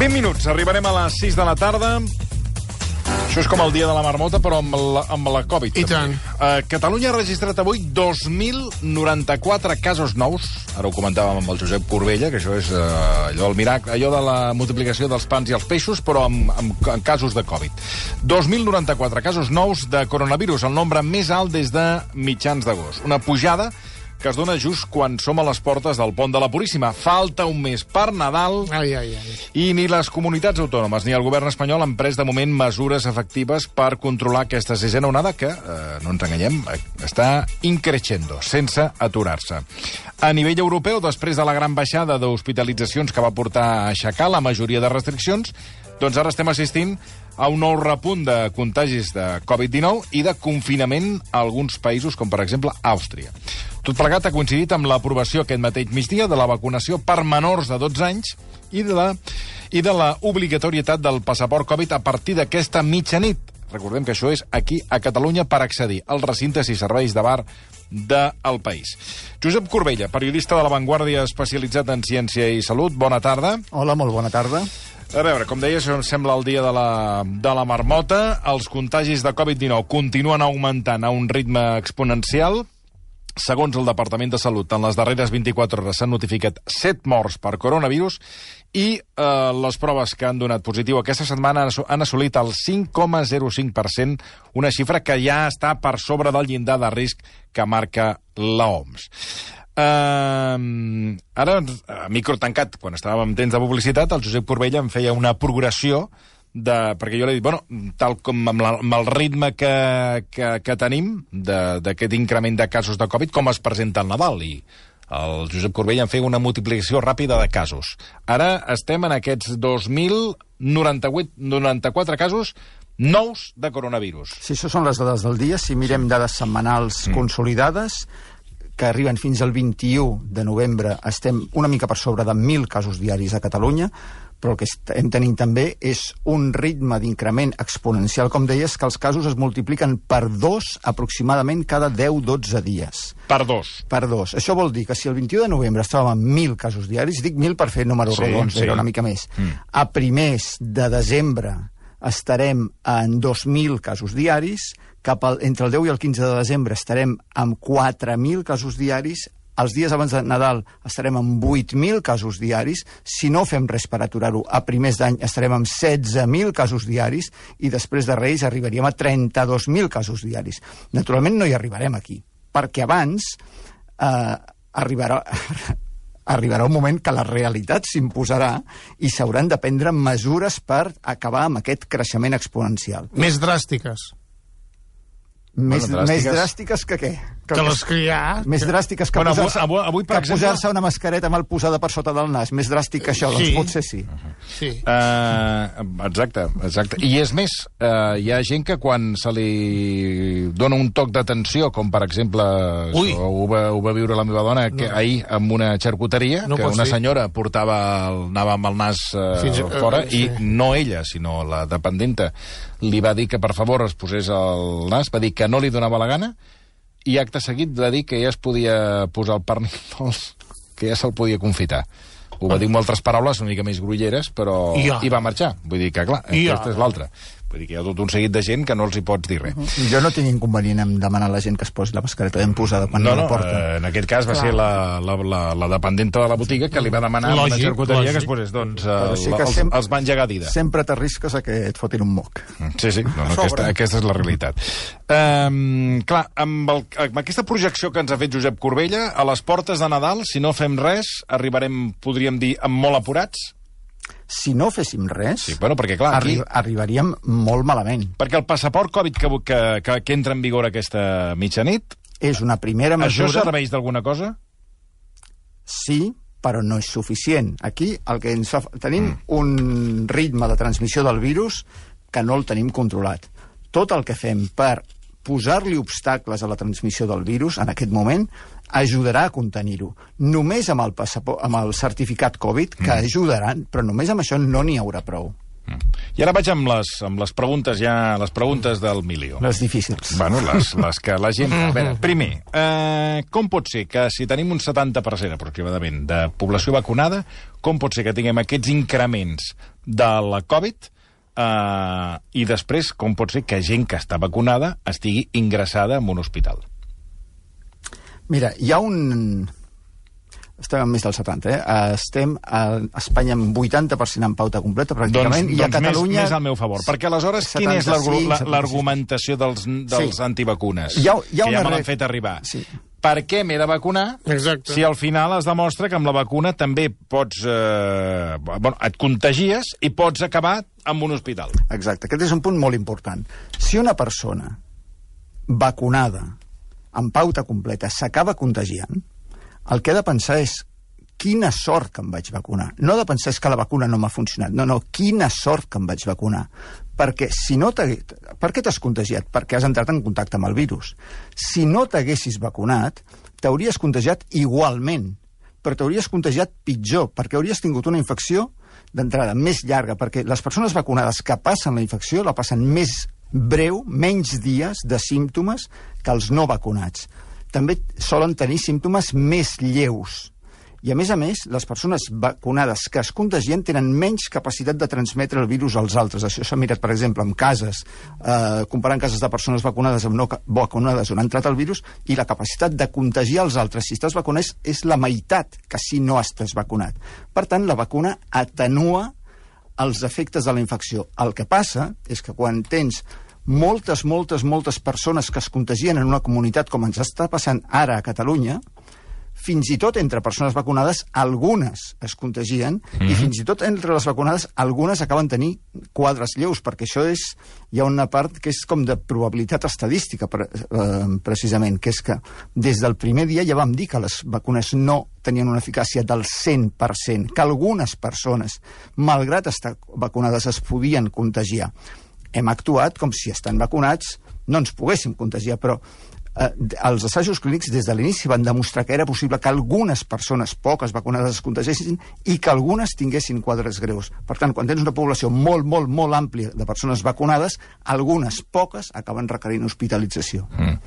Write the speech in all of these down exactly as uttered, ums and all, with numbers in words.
vint minuts, arribarem a les sis de la tarda. Això és com el dia de la marmota, però amb la, amb la Covid. I tant. Uh, Catalunya ha registrat avui dos mil noranta-quatre casos nous. Ara ho comentàvem amb el Josep Corbella, que això és uh, allò, el miracle, allò de la multiplicació dels pans i els peixos, però amb, amb, amb casos de Covid. dos mil noranta-quatre casos nous de coronavirus, el nombre més alt des de mitjans d'agost. Una pujada que es dona just quan som a les portes del Pont de la Puríssima. Falta un mes per Nadal ai, ai, ai. i ni les comunitats autònomes ni el govern espanyol han pres de moment mesures efectives per controlar aquesta sisena onada que, eh, no ens enganyem, està increixendo, sense aturar-se. A nivell europeu, després de la gran baixada d'hospitalitzacions que va portar a aixecar la majoria de restriccions, doncs ara estem assistint a un nou repunt de contagis de Covid dinou i de confinament a alguns països, com per exemple Àustria. Tot plegat ha coincidit amb l'aprovació aquest mateix migdia de la vacunació per menors de dotze anys i de la, i de la obligatorietat del passaport Covid a partir d'aquesta mitjanit. Recordem que això és aquí, a Catalunya, per accedir als recintes i serveis de bar del país. Josep Corbella, periodista de La Vanguardia especialitzat en ciència i salut, bona tarda. Hola, molt bona tarda. A veure, com deia, això sembla el dia de la, de la marmota. Els contagis de Covid dinou continuen augmentant a un ritme exponencial. Segons el Departament de Salut, en les darreres vint-i-quatre hores s'han notificat set morts per coronavirus i eh, les proves que han donat positiu aquesta setmana han assolit el cinc coma zero cinc per cent, una xifra que ja està per sobre del llindar de risc que marca l'O M S. Uh, ara, a micro tancat, quan estàvem en temps de publicitat, el Josep Corbella em feia una progressió de, perquè jo l'he dit, bueno, tal com amb, la, amb el ritme que, que, que tenim d'aquest increment de casos de Covid, com es presenta el Nadal, i el Josep Corbella em feia una multiplicació ràpida de casos. Ara estem en aquests dos mil noranta-quatre casos nous de coronavirus. Si això són les dades del dia, si mirem dades setmanals mm. consolidades, que arriben fins al vint-i-u de novembre, estem una mica per sobre de mil casos diaris a Catalunya, però el que estem tenint també és un ritme d'increment exponencial, com deies, que els casos es multipliquen per dos aproximadament cada deu a dotze dies. Per dos. Per dos. Això vol dir que si el vint-i-u de novembre estàvem amb mil casos diaris, dic mil per fer números sí, rodons, sí. era una mica més. Mm. A primers de desembre estarem en dos mil casos diaris, cap al, entre el deu i el quinze de desembre estarem amb quatre mil casos diaris, els dies abans de Nadal estarem amb vuit mil casos diaris, si no fem res per aturar-ho, a primers d'any estarem amb setze mil casos diaris i després de Reis arribaríem a trenta-dos mil casos diaris. Naturalment no hi arribarem aquí, perquè abans eh, arribarà... arribarà un moment que la realitat s'imposarà i s'hauran de prendre mesures per acabar amb aquest creixement exponencial. Més dràstiques. Més, bueno, dràstiques. més dràstiques que què? Que, que les que hi ha... Més dràstiques que bueno, posar-se avui, avui, per exemple... posar una mascareta mal posada per sota del nas. Més dràstic que això, sí. Doncs potser sí. Uh -huh. sí. Uh, exacte, exacte. I és més, uh, hi ha gent que quan se li dona un toc d'atenció, com per exemple, això, ho, va, ho va viure la meva dona que no. ahir amb una xarcuteria, no que una ser. senyora portava el, anava amb el nas uh, Fins, fora, uh, sí. i no ella, sinó la dependenta, li va dir que per favor es posés el nas, va dir que no li donava la gana, i acte seguit va dir que ja es podia posar el pernil dolç, que ja se'l podia confitar. Ho va dir amb altres paraules una mica més grulleres, però... Ja. I va marxar. Vull dir que, clar, ja. aquesta és l'altra. Vull dir que hi ha tot un seguit de gent que no els hi pots dir res. Uh -huh. Jo no tinc inconvenient en demanar a la gent que es posi la mascareta ben posada quan no, no, no, la porta. Eh, en aquest cas va clar. ser la, la, la, la dependenta de la botiga que li va demanar a una xarcuteria que es posés, doncs, eh, sí la, que els, sempre, els va engegar dida. Sempre t'arrisques a que et fotin un moc. Sí, sí, no, no, aquesta, aquesta és la realitat. Um, clar, amb, el, amb aquesta projecció que ens ha fet Josep Corbella, a les portes de Nadal, si no fem res, arribarem, podríem dir, amb molt apurats? Si no féssim res, sí, bueno, perquè, clar, aquí... arri arribaríem molt malament. Perquè el passaport Covid que, que, que, que entra en vigor aquesta mitjanit... És una primera mesura... Això serveix d'alguna cosa? Sí, però no és suficient. Aquí el que ens fa... tenim mm. un ritme de transmissió del virus que no el tenim controlat. Tot el que fem per posar-li obstacles a la transmissió del virus en aquest moment ajudarà a contenir-ho. Només amb el, passaport, amb el certificat Covid, que mm. ajudaran, però només amb això no n'hi haurà prou. I ara vaig amb les, amb les preguntes ja, les preguntes del milió. Les difícils. Bueno, les, les que la gent... A veure, primer, eh, com pot ser que si tenim un setanta per cent aproximadament de població vacunada, com pot ser que tinguem aquests increments de la Covid eh, i després com pot ser que gent que està vacunada estigui ingressada en un hospital? Mira, hi ha un... Estem amb més del setanta, eh? Estem a Espanya amb vuitanta per cent en pauta completa, pràcticament, doncs, i a doncs Catalunya... Més, més al meu favor, perquè aleshores quina és l'argumentació dels, dels sí. antivacunes? Hi ha, hi ha que ja me re... l'han fet arribar. Sí. Per què m'he de vacunar Exacte. si al final es demostra que amb la vacuna també pots... Eh, bueno, et contagies i pots acabar en un hospital? Exacte, aquest és un punt molt important. Si una persona vacunada amb pauta completa s'acaba contagiant, el que ha de pensar és quina sort que em vaig vacunar. No ha de pensar és que la vacuna no m'ha funcionat. No, no, quina sort que em vaig vacunar. Perquè si no t'hagués... Per què t'has contagiat? Perquè has entrat en contacte amb el virus. Si no t'haguessis vacunat, t'hauries contagiat igualment, però t'hauries contagiat pitjor, perquè hauries tingut una infecció d'entrada més llarga, perquè les persones vacunades que passen la infecció la passen més breu, menys dies de símptomes que els no vacunats. També solen tenir símptomes més lleus. I, a més a més, les persones vacunades que es contagien tenen menys capacitat de transmetre el virus als altres. Això s'ha mirat, per exemple, en cases, eh, comparant cases de persones vacunades amb no vacunades on ha entrat el virus, i la capacitat de contagiar els altres si estàs vacunat és la meitat que si no estàs vacunat. Per tant, la vacuna atenua els efectes de la infecció. El que passa és que quan tens moltes, moltes, moltes persones que es contagien en una comunitat com ens està passant ara a Catalunya, fins i tot entre persones vacunades, algunes es contagien, mm-hmm. i fins i tot entre les vacunades, algunes acaben tenint quadres lleus, perquè això és... Hi ha una part que és com de probabilitat estadística, pre, eh, precisament, que és que des del primer dia ja vam dir que les vacunes no tenien una eficàcia del cent per cent, que algunes persones, malgrat estar vacunades, es podien contagiar. Hem actuat com si estan vacunats no ens poguéssim contagiar, però eh, els assajos clínics des de l'inici van demostrar que era possible que algunes persones poques vacunades es contagiessin i que algunes tinguessin quadres greus. Per tant, quan tens una població molt, molt, molt àmplia de persones vacunades, algunes poques acaben requerint hospitalització. Mm.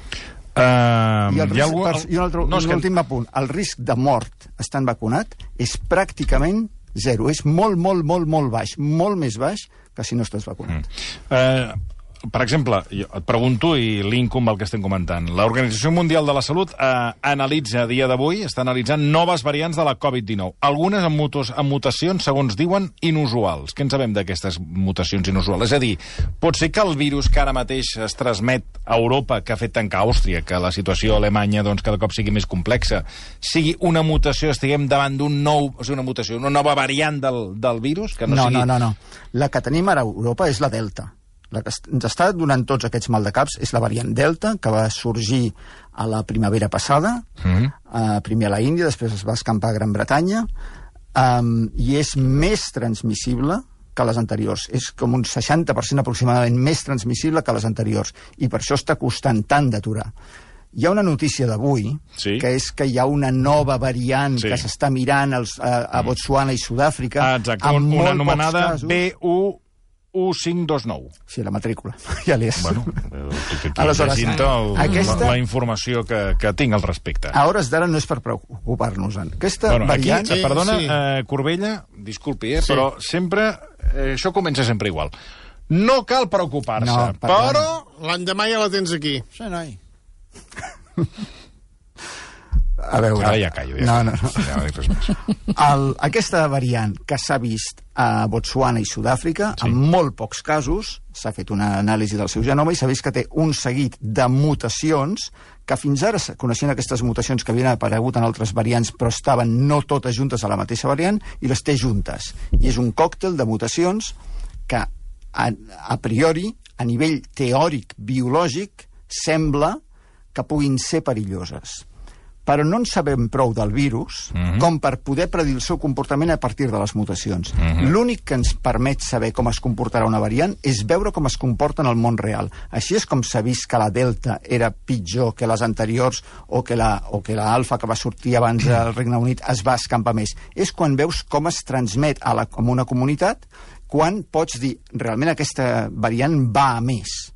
Uh, I, el risc, algú... per, i un, altre, no, un que... últim apunt. El risc de mort estant vacunat és pràcticament zero. És molt, molt, molt, molt baix. Molt més baix que si no estàs vacunat. Mm. Uh, per exemple, jo et pregunto i linko amb el que estem comentant. L'Organització Mundial de la Salut eh, analitza a dia d'avui, està analitzant noves variants de la covid dinou. Algunes amb, mutos, amb mutacions, segons diuen, inusuals. Què en sabem d'aquestes mutacions inusuals? És a dir, pot ser que el virus que ara mateix es transmet a Europa, que ha fet tancar Àustria, que la situació a Alemanya doncs, cada cop sigui més complexa, sigui una mutació, estiguem davant d'un nou... O sigui, una mutació, una nova variant del, del virus? Que no, no, sigui... no, no, no. La que tenim ara a Europa és la Delta. La que ens està donant tots aquests maldecaps és la variant Delta, que va sorgir a la primavera passada, mm-hmm. uh, primer a la Índia, després es va escampar a Gran Bretanya, um, i és més transmissible que les anteriors. És com un seixanta per cent aproximadament més transmissible que les anteriors, i per això està costant tant d'aturar. Hi ha una notícia d'avui, sí. que és que hi ha una nova variant sí. que s'està mirant als, a, a Botswana i Sud-àfrica, ah, exacte, amb una molt anomenada B U u cinc dos nou. Sí, la matrícula. Ja l'hi és. Bueno, aleshores, el, aquesta... la, la informació que, que tinc al respecte. A hores d'ara no és per preocupar-nos. Aquesta bueno, variant... Aquí, sí, perdona, sí. eh, Corbella, disculpi, eh, sí. però sempre... Eh, això comença sempre igual. No cal preocupar-se, no, però... L'endemà ja la tens aquí. Sí, noi. A veure... Ara ja callo. Ja no, no, no. Ja no dic res més. El, aquesta variant que s'ha vist a Botswana i Sud-àfrica, sí. en molt pocs casos, s'ha fet una anàlisi del seu genoma i s'ha vist que té un seguit de mutacions que fins ara coneixien aquestes mutacions que havien aparegut en altres variants però estaven no totes juntes a la mateixa variant i les té juntes. I és un còctel de mutacions que a, a priori, a nivell teòric, biològic, sembla que puguin ser perilloses. Però no en sabem prou del virus mm-hmm. com per poder predir el seu comportament a partir de les mutacions. Mm-hmm. L'únic que ens permet saber com es comportarà una variant és veure com es comporta en el món real. Així és com s'ha vist que la Delta era pitjor que les anteriors o que la, o que la Alfa, que va sortir abans del Regne Unit, es va escampar més. És quan veus com es transmet a la, a una comunitat quan pots dir, realment aquesta variant va a més,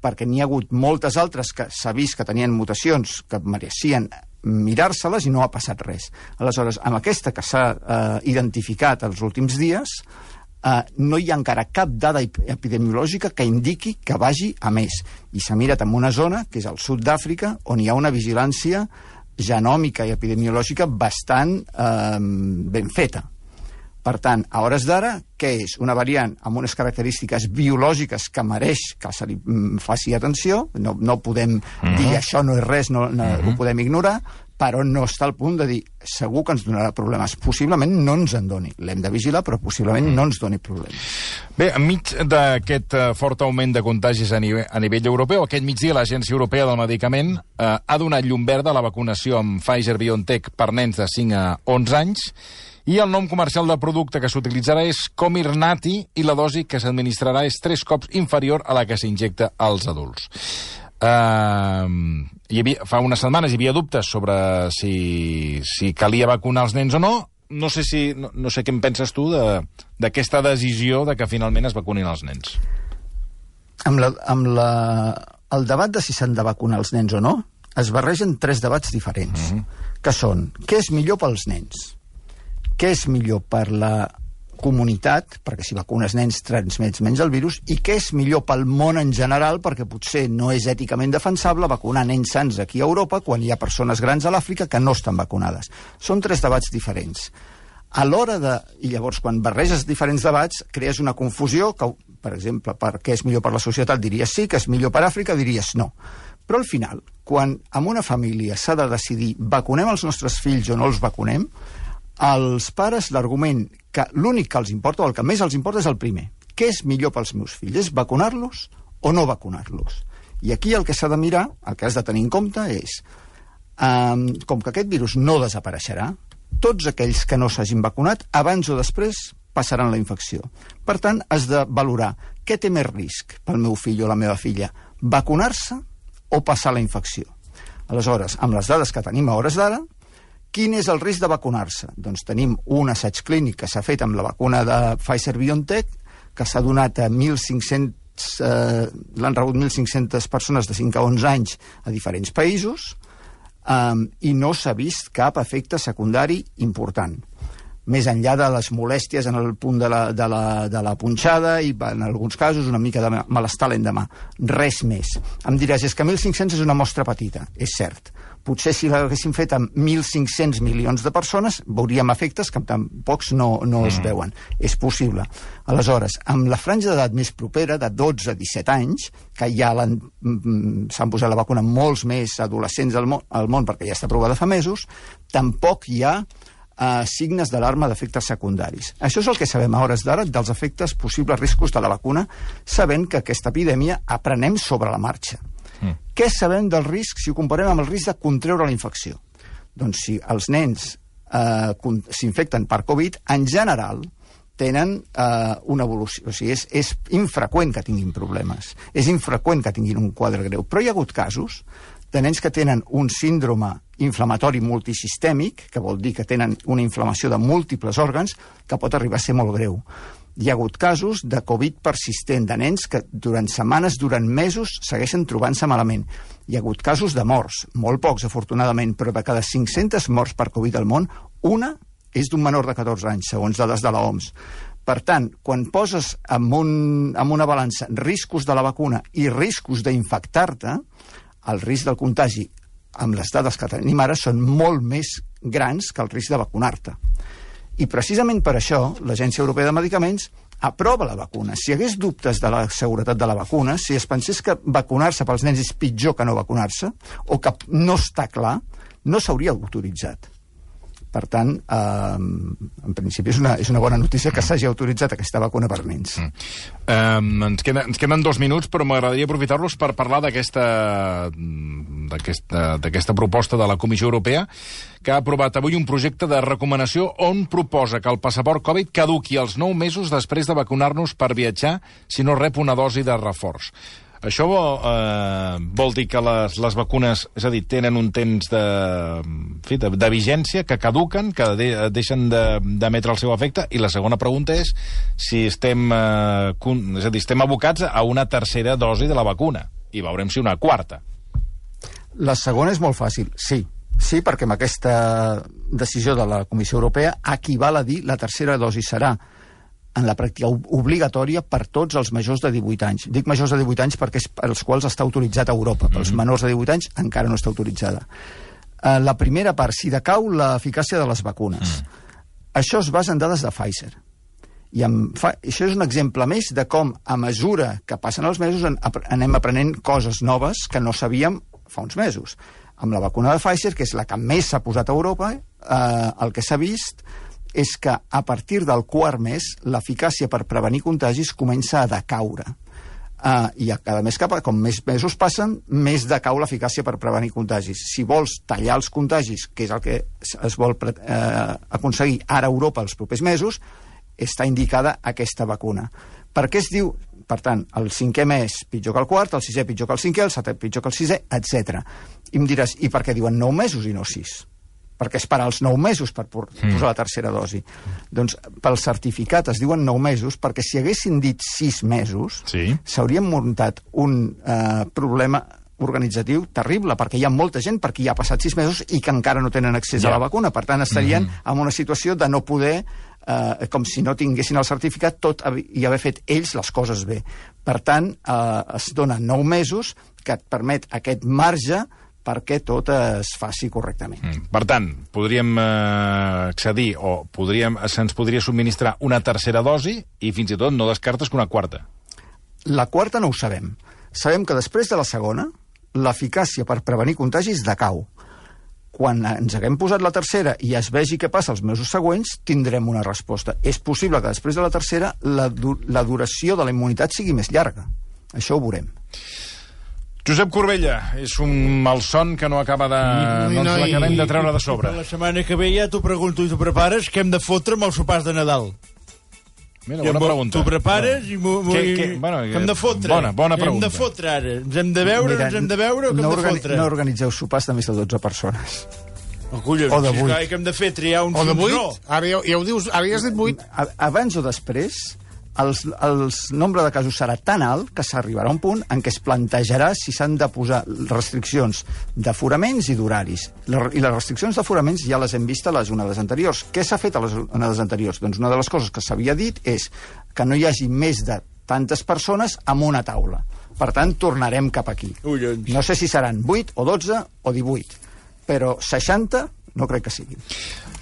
perquè n'hi ha hagut moltes altres que s'ha vist que tenien mutacions que mereixien mirar-se-les i no ha passat res. Aleshores, amb aquesta que s'ha eh, identificat els últims dies, eh, no hi ha encara cap dada epidemiològica que indiqui que vagi a més. I s'ha mirat en una zona, que és el sud d'Àfrica, on hi ha una vigilància genòmica i epidemiològica bastant eh, ben feta. Per tant, a hores d'ara, què és? Una variant amb unes característiques biològiques que mereix que se li faci atenció, no, no podem uh-huh. dir això no és res, no, no uh-huh. ho podem ignorar, però no està al punt de dir segur que ens donarà problemes. Possiblement no ens en doni. L'hem de vigilar, però possiblement no ens doni problemes. Bé, enmig d'aquest fort augment de contagis a nivell, a nivell europeu, aquest migdia l'Agència Europea del Medicament eh, ha donat llum verda a la vacunació amb Pfizer-BioNTech per nens de cinc a onze anys, i el nom comercial del producte que s'utilitzarà és Comirnaty i la dosi que s'administrarà és tres cops inferior a la que s'injecta als adults. Uh, hi havia, fa unes setmanes hi havia dubtes sobre si, si calia vacunar els nens o no. No sé, si, no, no sé què en penses tu d'aquesta de, decisió de que finalment es vacunin els nens. Amb, la, amb la, el debat de si s'han de vacunar els nens o no es barregen tres debats diferents, uh-huh. que són què és millor pels nens, què és millor per la comunitat, perquè si vacunes nens transmets menys el virus, i què és millor pel món en general, perquè potser no és èticament defensable vacunar nens sans aquí a Europa quan hi ha persones grans a l'Àfrica que no estan vacunades. Són tres debats diferents. A l'hora de... I llavors, quan barreges diferents debats, crees una confusió que, per exemple, per què és millor per la societat diries sí, que és millor per Àfrica diries no. Però al final, quan en una família s'ha de decidir vacunem els nostres fills o no els vacunem, als pares l'argument que l'únic que els importa o el que més els importa és el primer. Què és millor pels meus fills? És vacunar-los o no vacunar-los? I aquí el que s'ha de mirar, el que has de tenir en compte és um, com que aquest virus no desapareixerà, tots aquells que no s'hagin vacunat abans o després passaran la infecció. Per tant, has de valorar què té més risc pel meu fill o la meva filla, vacunar-se o passar la infecció. Aleshores, amb les dades que tenim a hores d'ara, quin és el risc de vacunar-se? Doncs tenim un assaig clínic que s'ha fet amb la vacuna de Pfizer-BioNTech, que s'ha donat a mil cinc-cents, eh, l'han rebut mil cinc-centes persones de cinc a onze anys a diferents països, eh, i no s'ha vist cap efecte secundari important. Més enllà de les molèsties en el punt de la, de la, de la punxada i, en alguns casos, una mica de malestar l'endemà. Res més. Em diràs, és que mil cinc-cents és una mostra petita. És cert. Potser si l'haguéssim fet amb mil cinc-cents milions de persones veuríem efectes que tampoc no, no es veuen. És possible. Aleshores, amb la franja d'edat més propera, de dotze a disset anys, que ja s'han posat la vacuna molts més adolescents al món, al món perquè ja està aprovada fa mesos, tampoc hi ha Uh, signes d'alarma d'efectes secundaris. Això és el que sabem a hores d'ara dels efectes possibles riscos de la vacuna, sabent que aquesta epidèmia aprenem sobre la marxa. Mm. Què sabem del risc si ho comparem amb el risc de contreure la infecció? Doncs si els nens uh, s'infecten per Covid, en general tenen uh, una evolució. O sigui, és, és infreqüent que tinguin problemes. És infreqüent que tinguin un quadre greu. Però hi ha hagut casos de nens que tenen un síndrome inflamatori multisistèmic, que vol dir que tenen una inflamació de múltiples òrgans, que pot arribar a ser molt greu. Hi ha hagut casos de Covid persistent, de nens que durant setmanes, durant mesos, segueixen trobant-se malament. Hi ha hagut casos de morts, molt pocs, afortunadament, però de cada cinc-centes morts per Covid al món, una és d'un menor de catorze anys, segons dades de l'O M S. Per tant, quan poses en, un, en una balança riscos de la vacuna i riscos d'infectar-te, el risc del contagi, amb les dades que tenim ara, són molt més grans que el risc de vacunar-te. I precisament per això l'Agència Europea de Medicaments aprova la vacuna. Si hi hagués dubtes de la seguretat de la vacuna, si es pensés que vacunar-se pels nens és pitjor que no vacunar-se, o que no està clar, no s'hauria autoritzat. Per tant, eh, en principi és una, és una bona notícia que s'hagi autoritzat aquesta vacuna per nens. Mm. Um, ens, queda, ens queden dos minuts, però m'agradaria aprofitar-los per parlar d'aquesta d'aquesta proposta de la Comissió Europea, que ha aprovat avui un projecte de recomanació on proposa que el passaport Covid caduqui els nou mesos després de vacunar-nos per viatjar si no rep una dosi de reforç. Això eh, vol dir que les, les vacunes, és a dir, tenen un temps de, en fi, de, de vigència, que caduquen, que de, deixen d'emetre el seu efecte, i la segona pregunta és si estem, eh, és a dir, estem abocats a una tercera dosi de la vacuna, i veurem si una quarta. La segona és molt fàcil, sí. Sí, perquè amb aquesta decisió de la Comissió Europea equival a dir la tercera dosi serà en la pràctica obligatòria per tots els majors de divuit anys. Dic majors de divuit anys perquè és per als quals està autoritzat a Europa. Per als mm-hmm. menors de divuit anys encara no està autoritzada. Uh, la primera part, si decau l'eficàcia de les vacunes. Mm. Això es basa en dades de Pfizer. I amb fa... això és un exemple més de com, a mesura que passen els mesos, en... anem aprenent coses noves que no sabíem fa uns mesos. Amb la vacuna de Pfizer, que és la que més s'ha posat a Europa, eh, el que s'ha vist és que a partir del quart mes l'eficàcia per prevenir contagis comença a decaure. Uh, I a cada mes, cap, com més mesos passen, més decau l'eficàcia per prevenir contagis. Si vols tallar els contagis, que és el que es vol uh, aconseguir ara a Europa els propers mesos, està indicada aquesta vacuna. Per què es diu, per tant, el cinquè mes pitjor que el quart, el sisè pitjor que el cinquè, el setè pitjor que el sisè, etcètera. I em diràs, i per què diuen nou mesos i no sis? Perquè esperar els nou mesos per posar mm. la tercera dosi. Doncs pel certificat es diuen nou mesos perquè si haguessin dit sis mesos s'haurien sí. muntat un eh, problema organitzatiu terrible, perquè hi ha molta gent perquè hi ha passat sis mesos i que encara no tenen accés ja. a la vacuna. Per tant, estarien mm-hmm. en una situació de no poder, eh, com si no tinguessin el certificat, tot i haver fet ells les coses bé. Per tant, eh, es donen nou mesos que et permet aquest marge perquè tot es faci correctament. Mm. Per tant, podríem eh, accedir o podríem, se'ns podria subministrar una tercera dosi i fins i tot no descartes que una quarta. La quarta no ho sabem. Sabem que després de la segona, l'eficàcia per prevenir contagis decau. Quan ens haguem posat la tercera i es vegi què passa els mesos següents, tindrem una resposta. És possible que després de la tercera la, du la duració de la immunitat sigui més llarga. Això ho veurem. Josep Corbella, és un malson que no acaba de... no ens l'acabem de treure de sobre. La setmana que ve ja t'ho pregunto i t'ho prepares, què hem de fotre amb els sopars de Nadal? Mira, bona pregunta. T'ho prepares i m'ho... Bueno, hem de fotre. Bona, bona pregunta. Hem de fotre ara. Ens hem de veure, Mira, ens hem de veure o que no hem de fotre? No organitzeu sopars de més de dotze persones. Oh, collons, o de vuit. Si que hem de fer triar uns... O de vuit? No. Ara ja, ja ho dius, ara ja has dit vuit. Abans o després, els, els nombre de casos serà tan alt que s'arribarà a un punt en què es plantejarà si s'han de posar restriccions d'aforaments i d'horaris. I les restriccions d'aforaments ja les hem vist a les onades anteriors. Què s'ha fet a les onades anteriors? Doncs una de les coses que s'havia dit és que no hi hagi més de tantes persones en una taula. Per tant, tornarem cap aquí. Ullons. No sé si seran vuit o dotze o divuit, però seixanta no crec que siguin.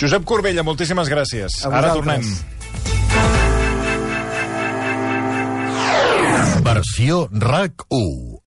Josep Corbella, moltíssimes gràcies. Ara tornem. Versió RAC u.